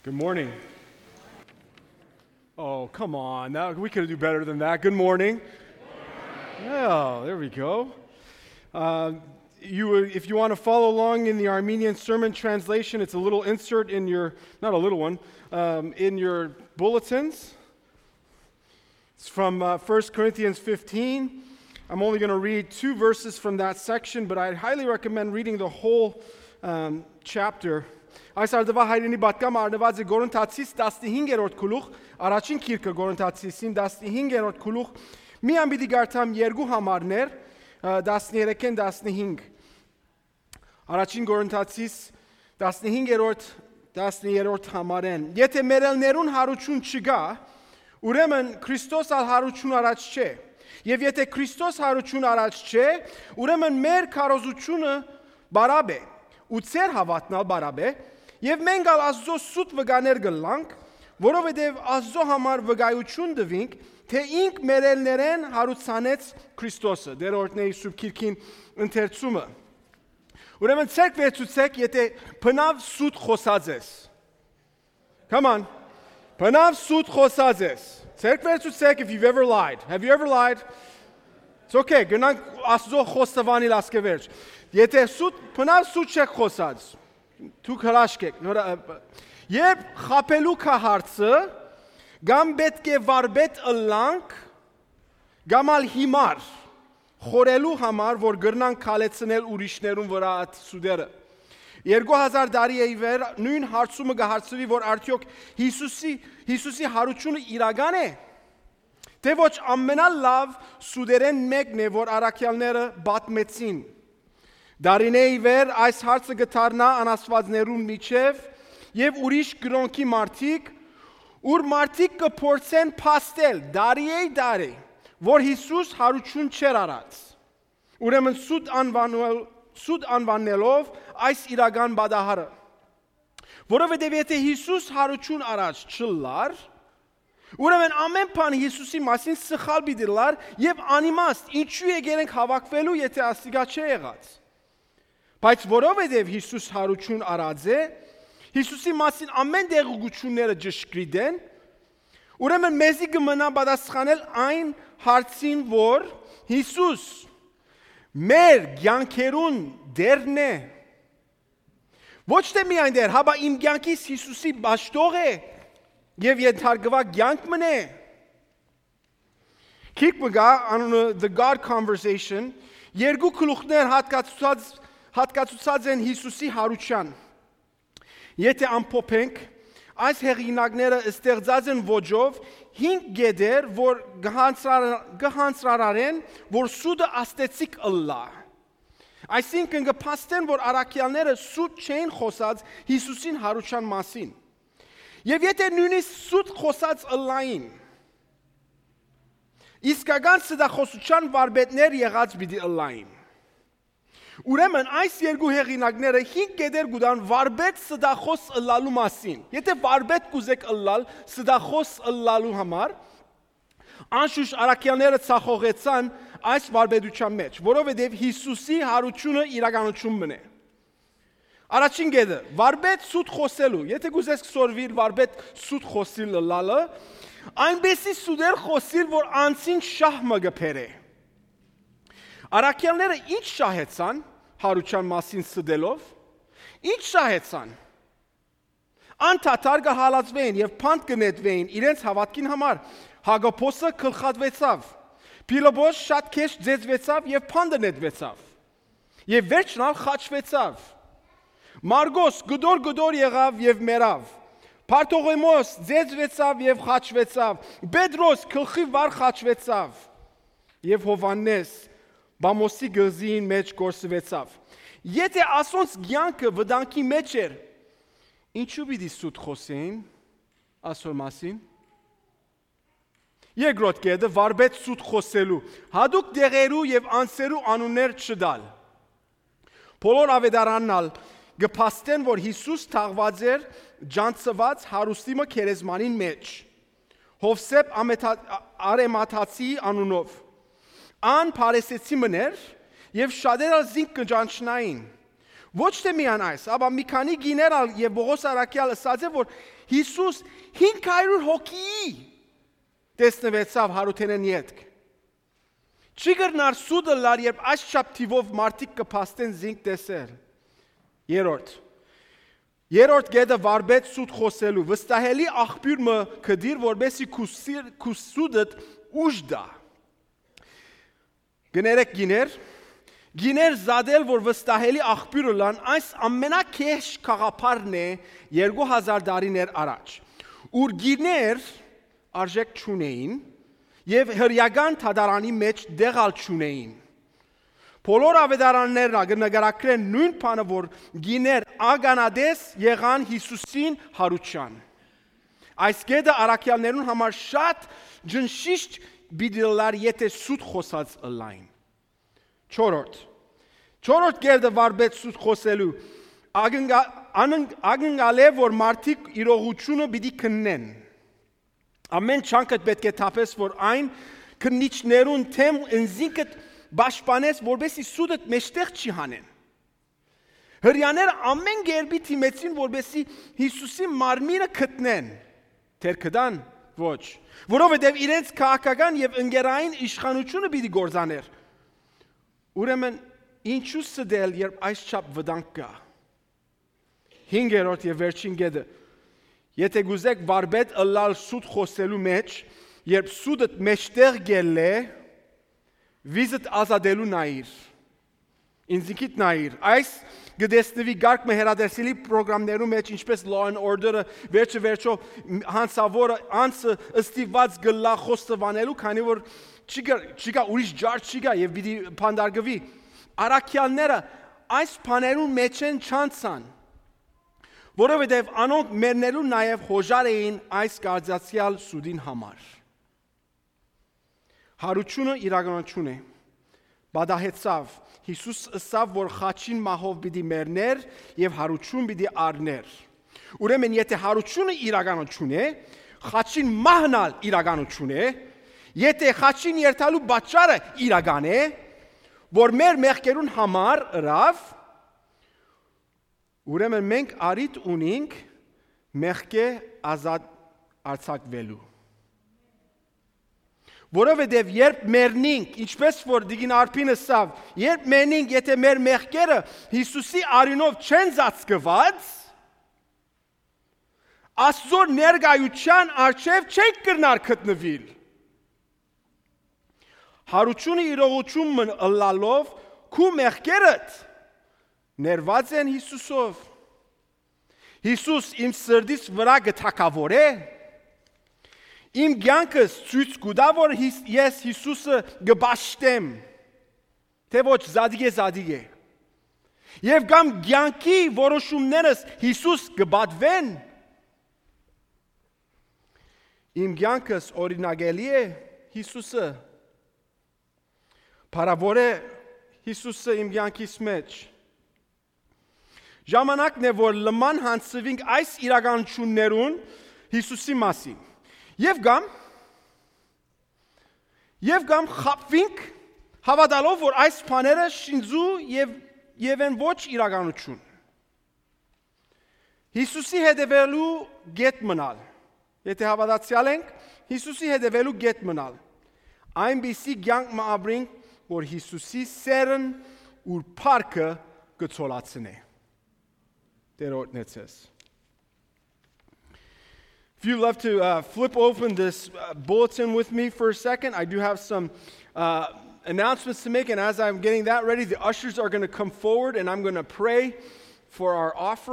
Good morning. Oh, come on. We could do better than that. Good morning. Yeah, there we go. If you want to follow along in the Armenian Sermon Translation, it's a little insert in your, not a little one, in your bulletins. It's from 1 Corinthians 15. I'm only going to read 2 verses from that section, but I'd highly recommend reading the whole chapter. Այս արդվա հայրենի բատկամ արնված է Գորընթացիս 15-րդ գլուխ, առաջին գիրքը Գորընթացիսին 15-րդ գլուխ, մի ամբիդի գարտամ երկու համարներ 13-ն 15։ Առաջին Գորընթացիս 15-րդ համարեն։ Եթե մերելներուն հարություն չգա, ուրեմն Քրիստոս ալ հարություն առաջ չէ։ Եվ եթե Քրիստոս հարություն առաջ չէ, ուրեմն մեր քարոզությունը բարաբ է, ու ծեր հավատնալ բարաբ է, եւ մենք ալ Աստծո սուտ վգաներ գլանք, որովհետեւ Աստծո համար վգայություն դվինք, թե ինք մերելներեն հարուցանեց Քրիստոսը։ Դերորդների սուրբ քիրքին ընթերցումը։ Ուրեմն ցերկ վերցուցեք, եթե բնավ սուտ խոսած ես։ Come on. Բնավ սուտ խոսած ես։ Ցերկ վերցուցեք if you've ever lied. Have you ever lied? It's okay. Գնանք Աստծո խոստովանիլ ասկևերջ։ Եթե բնավ սուտ չեք խոսած, դուք հրաշք եք։ Երբ խապելու կա հարցը, գամ պետք է վարբետ ըլլանք, գամ ալ հիմար, խորելու համար, որ գրնանք կալեցնել ուրիշներուն վրա այդ սուդերը։ 2000 տարի է իվեր նույն հարցումը կհարցվի, որ արդյոք Հիսուսի հարությունը իրական է, թե ոչ ամենալավ սուդերեն մեկն է, որ առաքյալները բատմեցին։ Դարինե իվեր այս հարցը գտարնա անաստվածներուն միջև եւ ուրիշ գրոնքի մարդիկ, ուր մարդիկ կփորձեն փաստել դարի, որ Հիսուս հարություն չեր արած։ Ուրեմն սուտ անվանելով այս իրական բադահարը։ Որովհետեւ եթե Հիսուս հարություն արած չլար, ուրեմն ամեն բան Հիսուսի մասին սխալ բիդլար եւ անիմաստ, ինչու եկել ենք հավաքվելու, եթե աստիգա չէ եղած։ Բայց որովհետև Հիսուս հարություն արած է, Հիսուսի մասին ամեն դեղուգությունները ճշգրիտ են, ուրեմն մեզի կմնա պատասխանել այն հարցին, որ Հիսուս մեր կյանքերուն դերն է։ Ոչ թե միայն դեր, հաբա իմ կյանքիս Հիսուսի բաշտող է եւ ենթարկվա կյանք մնե։ Քիք մգա անունը The God Conversation, երկու գլուխներ հատկացուցած են Հիսուսի հարության։ Եթե ամփոփենք, այս հեղինակները ստեղծած են ոճով 5 գեդեր, որ գհանցրարեն, որ սուդը աստեցիկ ըլլա։ Այսինքն կփաստեն, որ առաքյալները սուտ չէին խոսած Հիսուսին հարության մասին։ Եվ եթե նույնիսկ սուտ խոսած ըլլային, իսկական սդախոսության վարպետներ եղած պիտի ըլլային։ Ուրեմն այս երկու հեղինակները 5 գեդեր գուտան վարպետ սդախոս ըլլալու մասին։ Եթե վարպետ կուզեք ըլլալ սդախոս ըլլալու համար, անշուշտ առաքյալները ցախողեցան այս վարպետության մեջ, որովհետև Հիսուսի հարությունը իրականություն մնե։ Առաջին գեդը, վարպետ սուտ խոսելու, եթե կուզես սորվիր վարպետ սուտ խոսիլ ըլլալը, այնպեսի սուդեր խոսիլ, որ անցին շահմը գփերե։ Առաքյալները ինչ շահեցան հարության մասին սդելով, ինչ շահեցան։ Անթաթար կհալածվեին եւ փանդ կնետվեին իրենց հավատքին համար։ Հակոբոսը գլխատվեցավ, Փիլիպոս շատ քեշ ձեզվեցավ եւ փանդը նետվեցավ։ Եվ վերջնալ խաչվեցավ։ Մարգոս գդոր եղավ եւ մեռավ։ Պարտողոմոս ձեզվեցավ եւ խաչվեցավ։ Պետրոս գլխի վար խաչվեցավ։ Եվ Հովանես Բամոսի գզին մեջ գործվեցավ։ Եթե ասոնց կյանքը վտանգի մեջ էր, ինչու պիտի սուտ խոսեին ասոր մասին։ Երկրորդ կետը վարպետ սուտ խոսելու, հատուկ դեղերու եւ անձերու անուններ չդալ։ Բոլոր ավետարաննալ գփաստեն, որ Հիսուս թաղված էր ջանցված հարուստիմը քերեզմանին մեջ։ Հովսեփ Արեմաթացի անունով։ Ան Փարեսեցի մներ եւ շատերը զինք կճանչնային, Ոչ թե միան այս, ապա մի քանի գիներ եւ Պողոս Արաքյալը ասաց է, որ Հիսուս 500 հոգի տեսնվեցավ Հարութենեն ետք։ Չի գրնար սուդը լար, երբ այս չափ թիվով մարդիկ կփաստեն զինք տեսել։ Երորդ գեդը վարբեց սուդ խոսելու, վստահելի աղբյուր մը կդիր, որբեսի քու սուդըտ ուժ դա։ Գներեք գիներ զադել, որ վստահելի աղբյուրը լան, այս ամենակեշ կաղապարն է 2000 դարիներ առաջ, ուր գիներ արժեք չունեին և հրյական թադարանի մեջ դեղալ չունեին։ Բոլոր ավետարաններն նկարագրեն նույն բանը, որ գիներ ագանադես եղան Հիսուսին հարության։ Այս գեդը առաքյալներուն համար շատ ջնշիշտ բիդիլար, եթե սուտ խոսած ըլային։ Չորրորդ գեդը վարբեց սուտ խոսելու, ագնգալ է, որ մարդիկ իրողությունը պիտի քննեն։ Ամեն չանքդ պետք է թափես, որ այն քննիչներուն թեմ ընզինքդ բաշպանես, որբեսի սուդըտ մեջտեղ չի հանեն։ Հրյաները ամեն գերբի թիմեցին, որբեսի Հիսուսի մարմինը գտնեն, թեր կդան, ոչ, որովհետև իրենց քաղաքական և ընկերային իշխանությունը պիտի գործաներ։ Ուրեմն ինչու սդել, երբ այս չափ վտանգ կա։ 5-րդ և վերջին գեդը, եթե գուզեք վարբետ ըլլալ սուտ խոսելու մեջ, երբ սուդըտ մեջտեղ գել է, վիզըտ ազատելու նայիր, ինձինքիտ նայիր, այս գդեսնվի գարկ մհերադերսիլի պրոգրամներու մեջ, ինչպես Law and Order-ը, վերջո հանցավորը անցը ըստիված գլա խոստվանելու, քանի որ չիկա ուրիշ ջար չիկա և պիտի պանդարգվի, առաքյալները այս բաներուն մեջ են չանցան, որովհետև անոնք մերնելու նաև հոժար էին այս կարծացյալ սուդին համար։ Հարությունը իրականություն է, բադահեցավ, Հիսուս ըսավ, որ խաչին մահով պիտի մերներ և հարություն պիտի առներ։ Ուրեմն եթե հարությունը իրականություն է, խաչին մահնալ իրականություն է, եթե խաչին երթալու պատճառը իրական է, որ մեր մեղքերուն համար ըրավ, ուրեմն մենք արիտ ունենք մեղքե ազատ արձակվելու։ Որովհետև երբ մերնինք, ինչպես որ դիգին արփին ըսավ, երբ մերնինք, եթե մեր մեղքերը Հիսուսի արյունով չեն ծածկված, Աստծո ներկայության առջև չենք կրնար գտնվիլ։ Հարությունը իրողություն ըլլալով քու մեղքերդ ներված են Հիսուսով։ Հիսուս իմ սրդիս վրա գթակավոր է։ Իմ կյանքս ցույց կտա, որ ես Հիսուսը կպաշտեմ, թե ոչ զադիկ է։ Եվ կամ կյանքի որոշումներս Հիսուս կպատվեն։ Իմ կյանքս օրինակելի է Հիսուսը։ Փառավոր է Հիսուսը իմ կյանքիս մեջ։ Ժամանակն է, որ լման հանցվենք այս իրականություններուն Հիսուսի մասին։ Եվ կամ խապվինք հավատալով, որ այս բաները շինձու և են ոչ իրականություն։ Հիսուսի հետևելու գետ մնալ։ Եթե հավատացյալ ենք, Հիսուսի հետևելու գետ մնալ։ Այնպիսի կյանք մը ապրենք, որ Հիսուսի սերն ուր փառքը կցոլացնե։ Տերոջն էցես։ If you'd love to flip open this bulletin with me for a second, I do have some announcements to make, and as I'm getting that ready, the ushers are going to come forward, and I'm going to pray for our offering.